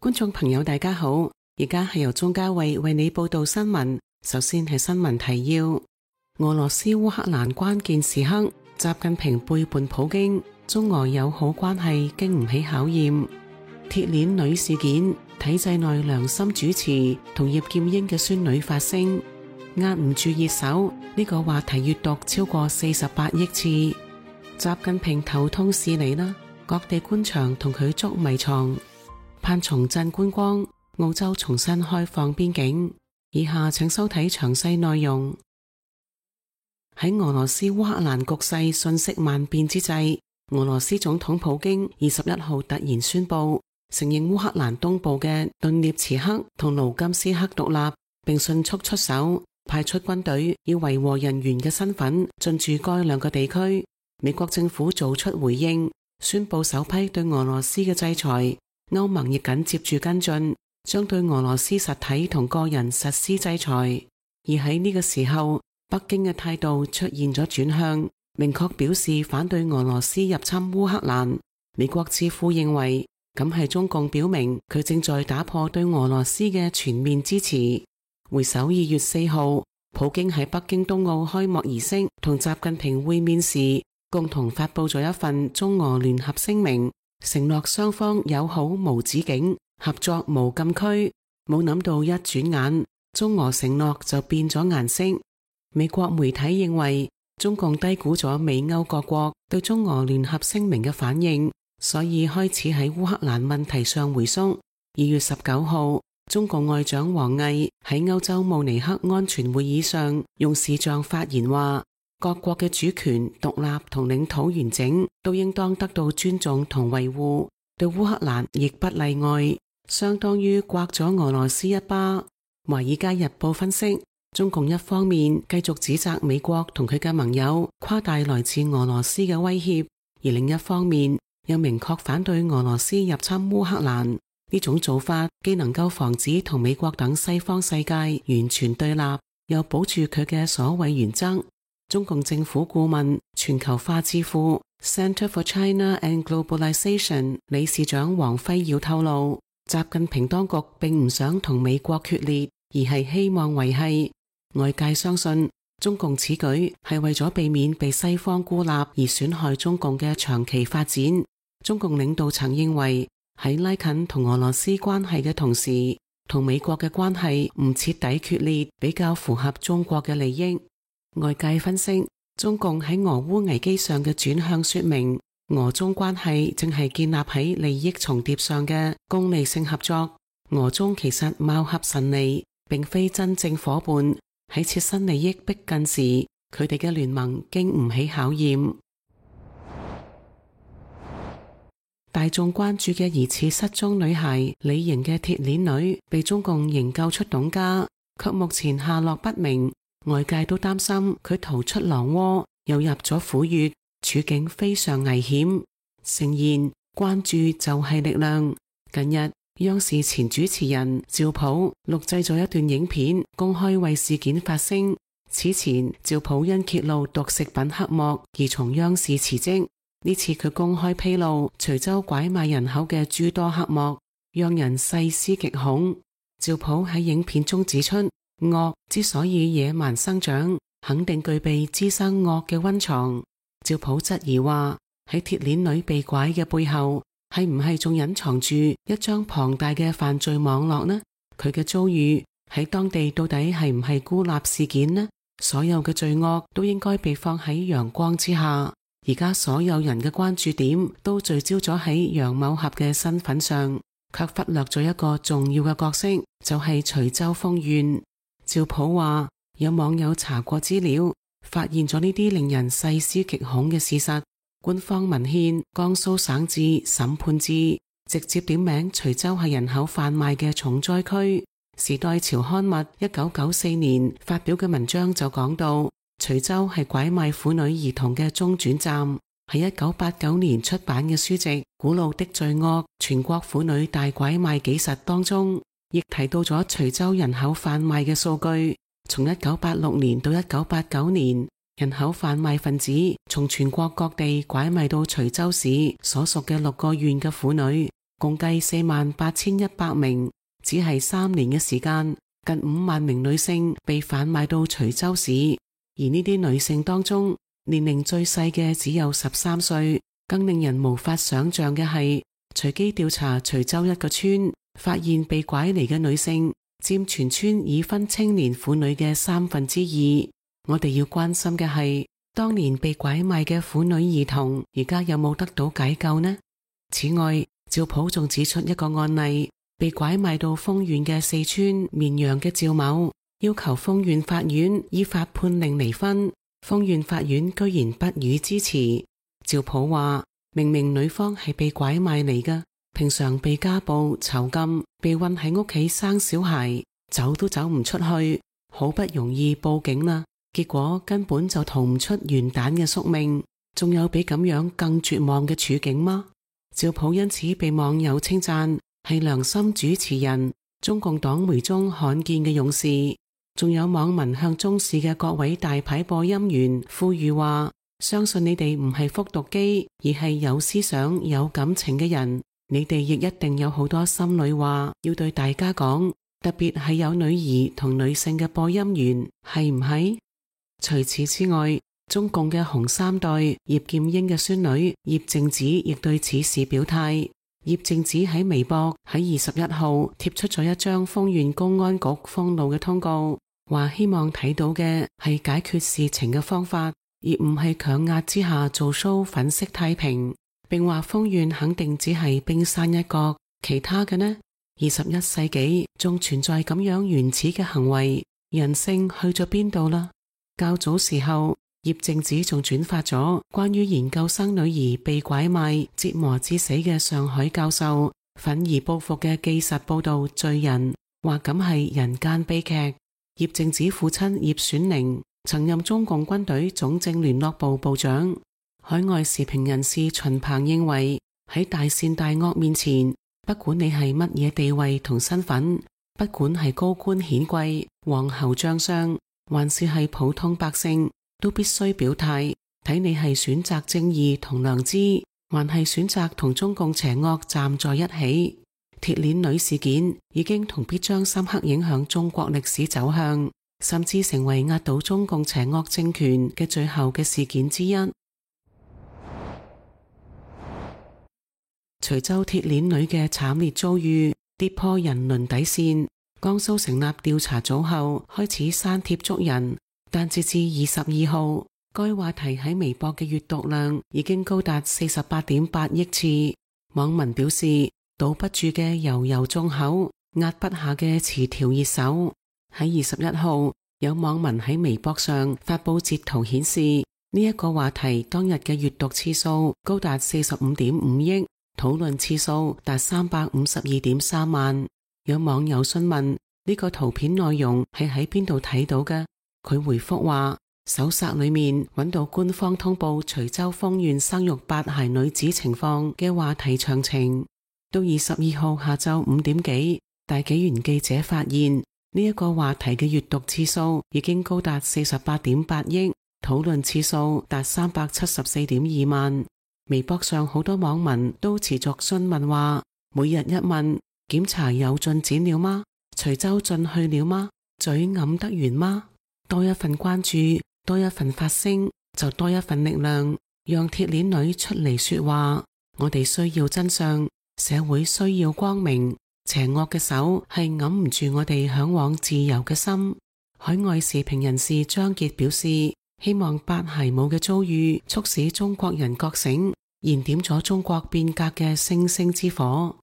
觀眾朋友大家好，而家係由鍾嘉慧為你報道新聞。首先係新聞提要：俄羅斯烏克蘭關鍵時刻，習近平背叛普京，中俄友好關係經唔起考驗。鐵鏈女事件，體制內良心主持同葉劍英嘅孫女發聲，壓唔住熱搜，呢個話題閱讀超過48億次。習近平頭痛事嚟啦，各地官場同佢捉迷藏。盼重振觀光，澳洲重新開放邊境。以下請收睇詳細內容。喺俄羅斯烏克蘭局勢瞬息萬變之際，俄羅斯總統普京21號突然宣布承認烏克蘭東部嘅頓涅茨克同盧甘斯克獨立，並迅速出手派出軍隊以維和人員嘅身份進駐該兩個地區。美國政府做出回應，宣布首批對俄羅斯嘅制裁。歐盟亦緊接住跟進，將對俄羅斯實體同個人實施制裁。而喺呢個時候，北京嘅態度出現咗轉向，明確表示反對俄羅斯入侵烏克蘭。美國智庫認為，咁係中共表明佢正在打破對俄羅斯嘅全面支持。回首2月4號，普京喺北京冬奧開幕儀式同習近平會面時，共同發佈咗一份中俄聯合聲明，承諾雙方友好無止境，合作無禁區。冇諗到一轉眼，中俄承諾就變咗顏色。美國媒體認為，中共低估咗美歐各國對中俄聯合聲明嘅反應，所以開始喺烏克蘭問題上回縮。2月19號，中共外長王毅喺歐洲慕尼黑安全會議上用視像發言話，各國嘅主權、獨立同領土完整都應當得到尊重同維護，對烏克蘭亦不例外，相當於摑咗俄羅斯一巴。華爾街日報分析，中共一方面繼續指責美國同佢嘅盟友誇大來自俄羅斯嘅威脅，而另一方面又明確反對俄羅斯入侵烏克蘭。呢種做法既能夠防止同美國等西方世界完全對立，又保住佢嘅所謂原則。中共政府顧問、全球化智庫 Center for China and Globalization 理事長王輝耀透露，習近平當局並唔想同美國決裂，而係希望維繫。外界相信中共此舉係為咗避免被西方孤立而損害中共嘅長期發展。中共領導層認為，喺拉近同俄羅斯關係嘅同時，同美國嘅關係唔徹底決裂，比較符合中國嘅利益。外界分析，中共喺俄烏危機上嘅轉向說明，俄中關係正係建立喺利益重疊上嘅功利性合作。俄中其實貌合神離，並非真正夥伴。喺切身利益逼近時，佢哋嘅聯盟經唔起考驗。大眾關注嘅疑似失蹤女孩李瑩嘅鐵鏈女被中共營救出董家，卻目前下落不明。外界都擔心佢逃出狼窩，又入咗虎穴，處境非常危險。誠言關注就係力量。近日，央視前主持人趙普錄製咗一段影片，公開為事件發聲。此前，趙普因揭露毒食品黑幕而從央視辭職。呢次佢公開披露徐州拐賣人口嘅諸多黑幕，讓人細思極恐。趙普喺影片中指出，惡之所以野蠻生長，肯定具備滋生惡嘅溫床。趙普質疑話，喺鐵鏈女被拐嘅背後，係唔係仲隱藏住一張龐大嘅犯罪網絡呢？佢嘅遭遇喺當地到底係唔係孤立事件呢？所有嘅罪惡都應該被放喺陽光之下。而家所有人嘅關注點都聚焦咗喺楊某俠嘅身份上，卻忽略咗一個重要嘅角色，就係徐州豐縣。趙普話，有網友查過資料，發現咗呢啲令人細思極恐嘅事實。官方文獻江蘇省志審判志直接點名徐州係人口販賣嘅重災區。時代潮刊物1994年發表嘅文章就講到，徐州係拐賣婦女兒童嘅中轉站。喺1989年出版嘅書籍《古老的罪惡：全國婦女大拐賣紀實》當中，亦提到咗徐州人口販賣嘅數據。從1986年到1989年，人口販賣分子從全國各地拐賣到徐州市所屬嘅6個縣嘅婦女，共計48,100名，只係3年嘅時間，近5萬名女性被販賣到徐州市，而呢啲女性當中，年齡最細嘅只有13歲。更令人無法想象嘅係，隨機調查徐州一個村，發現被拐嚟嘅女性佔全村已婚青年婦女嘅2/3。我哋要關心嘅係，當年被拐賣嘅婦女兒童，而家有冇得到解救呢？此外，趙普仲指出一個案例，被拐賣到豐縣嘅四川綿陽嘅趙某，要求豐縣法院依法判令離婚，豐縣法院居然不予支持。趙普話，明明女方係被拐賣嚟㗎，平常被家暴囚禁，被困喺屋企生小孩，走都走唔出去，好不容易報警啦，結果根本就逃唔出元旦嘅宿命，仲有比咁樣更絕望嘅處境嗎？趙普因此被網友稱讚係良心主持人，中共黨媒中罕見嘅勇士。仲有網民向中視嘅各位大牌播音員呼籲話，相信你哋唔係復讀機，而係有思想有感情嘅人，你哋亦一定有好多心裏話要對大家講，特別係有女兒同女性嘅播音員，係唔係？除此之外，中共嘅紅三代葉劍英嘅孫女葉靜子亦對此事表態。葉靜子喺微博喺21號貼出咗一張豐縣公安局封路嘅通告，話希望睇到嘅係解決事情嘅方法，而唔係強壓之下做 show 粉飾太平，並話豐縣肯定只係冰山一角，其他嘅呢？21世紀仲存在咁樣原始嘅行為，人性去咗邊度啦？較早時候，葉靜子仲轉發咗關於研究生女兒被拐賣折磨致死嘅上海教授憤而報復嘅紀實報道罪人，話咁係人間悲劇。葉靜子父親葉選寧曾任中共軍隊總政聯絡部部長。海外時評人士秦鵬認為，喺大善大惡面前，不管你係乜嘢地位同身份，不管係高官顯貴、皇侯將相，還是係普通百姓，都必須表態，睇你係選擇正義同良知，還係選擇同中共邪惡站在一起。鐵鏈女事件已經同必將深刻影響中國歷史走向，甚至成為壓倒中共邪惡政權嘅最後嘅事件之一。徐州鐵鏈女嘅慘烈遭遇跌破人倫底線，江蘇成立調查組後開始刪帖捉人，但截至22號，該話題喺微博嘅閱讀量已經高達48.8億次。網民表示，堵不住嘅悠悠眾口，壓不下嘅詞條熱搜。喺21號，有網民喺微博上發佈截圖顯示，呢一個話題當日嘅閱讀次數高達45.5億，討論次數達352.3萬。有網友詢問呢個圖片內容係喺邊度睇到嘅，佢回覆話，搜索裏面揾到官方通報徐州豐縣生育8孩女子情況嘅話題詳情。到22號下晝5點幾，大紀元記者發現呢一個話題嘅閱讀次數已經高達48.8億，討論次數達374.2萬。微博上好多網民都持續詢問話，每日一問，檢查有進展了嗎？徐州進去了嗎？嘴揞得完嗎？多一份關注，多一份發聲，就多一份力量，讓鐵鏈女出嚟說話。我哋需要真相，社會需要光明，邪惡嘅手係揞唔住我哋向往自由嘅心。海外時評人士張傑表示，希望8孩母嘅遭遇促使中國人覺醒，燃點咗中國變革嘅星星之火。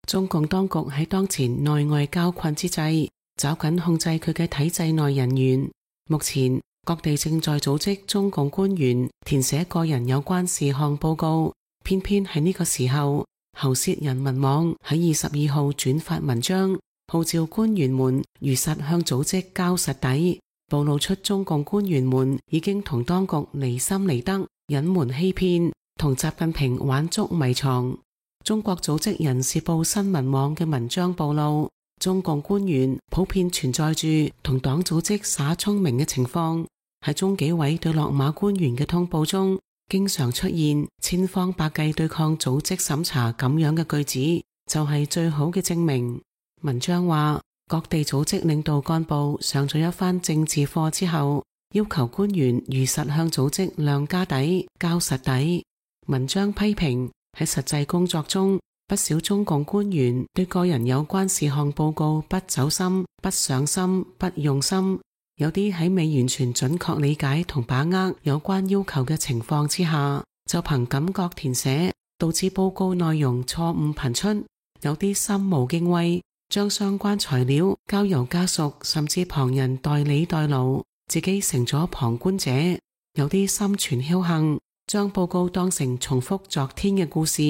中共當局喺當前內外交困之際，抓緊控制佢嘅體制內人員。目前各地正在組織中共官員填寫個人有關事項報告，偏偏喺呢個時候，喉舌人民網喺22號轉發文章，號召官員們如實向組織交實底，暴露出中共官員們已經同當局離心離德、隱瞞欺騙，同習近平玩捉迷藏。中國組織人事部新聞網嘅文章暴露，中共官員普遍存在住同黨組織耍聰明嘅情況。喺中紀委對落馬官員嘅通報中，經常出現千方百計對抗組織審查咁樣嘅句子，就係最好嘅證明。文章話，各地組織領導幹部上咗一番政治課之後，要求官員如實向組織量家底、交實底。文章批評喺實際工作中，不少中共官員對個人有關事項報告不走心、不上心、不用心。有啲喺未完全準確理解同把握有關要求嘅情況之下，就憑感覺填寫，導致報告內容錯誤頻出。有啲心無敬畏，將相關材料交由家屬甚至旁人代理代勞，自己成咗旁觀者。有啲心存僥倖，將報告當成重複昨天嘅故事。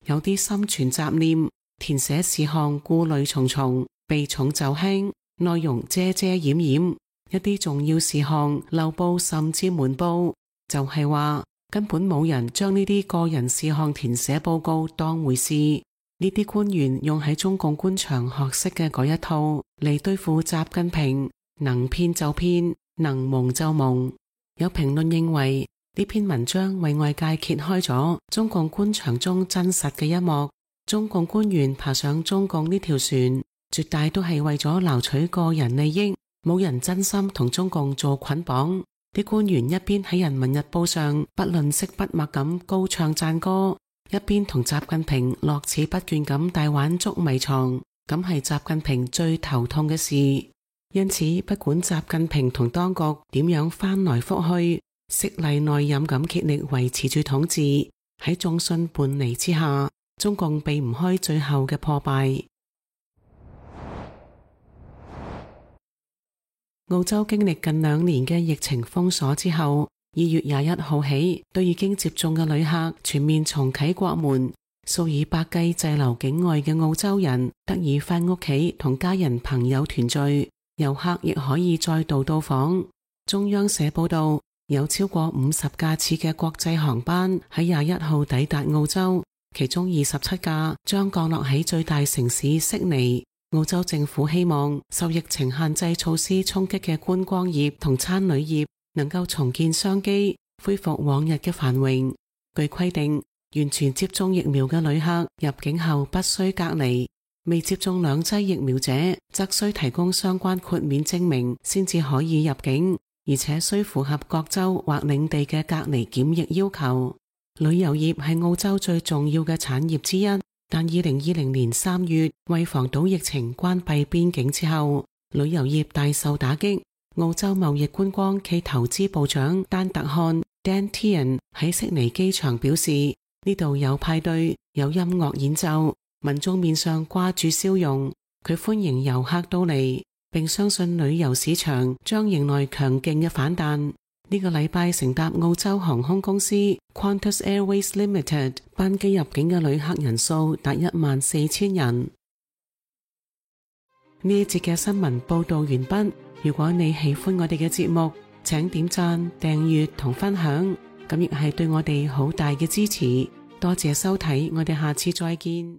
有啲心存雜念，填寫事項顧慮重重，避重就輕，內容遮遮掩掩。一啲重要事項漏報甚至瞞報，就係話根本冇人將呢啲個人事項填寫報告當回事。呢啲官員用喺中共官場學識嘅嗰一套嚟對付習近平，能騙就騙，能蒙就蒙。有評論認為呢篇文章為外界揭開咗中共官場中真實嘅一幕。中共官員爬上中共呢條船，絕大都係為咗撈取個人利益。冇人真心同中共做捆綁，啲官員一邊喺人民日報上不吝嗇筆墨咁高唱讚歌，一邊同習近平樂此不倦咁大玩捉迷藏，咁係習近平最頭痛嘅事。因此，不管習近平同當局點樣翻來覆去，色厲內荏咁竭力維持住統治，喺眾信叛離之下，中共避唔開最後嘅破敗。澳洲經歷近2年嘅疫情封鎖之後，2月21號起，對已經接種嘅旅客全面重啟國門，數以百計滯留境外嘅澳洲人得以返屋企同家人朋友團聚，遊客亦可以再度到訪。中央社報道，有超過50架次嘅國際航班喺21號抵達澳洲，其中27架將降落喺最大城市悉尼。澳洲政府希望受疫情限制措施衝擊嘅觀光業同餐旅業能夠重建商機，恢復往日嘅繁榮。據規定，完全接種疫苗嘅旅客入境後不需隔離，未接種2劑疫苗者則需提供相關豁免證明先至可以入境，而且需符合各州或領地嘅隔離檢疫要求。旅遊業係澳洲最重要嘅產業之一。但2020年3月為防堵疫情關閉邊境之後，旅遊業大受打擊。澳洲貿易觀光暨投資部長丹特漢 Dan Tehan 喺悉尼機場表示，呢度有派對，有音樂演奏，民眾面上掛住笑容。佢歡迎遊客到嚟，並相信旅遊市場將迎來強勁嘅反彈。呢個禮拜乘搭澳洲航空公司 Qantas Airways Limited 班機入境嘅旅客人數達14000人。呢一節嘅新聞報道完畢。如果你喜歡我哋嘅節目，請點讚、訂閱同分享，咁亦係對我哋好大嘅支持。多謝收睇，我哋下次再見。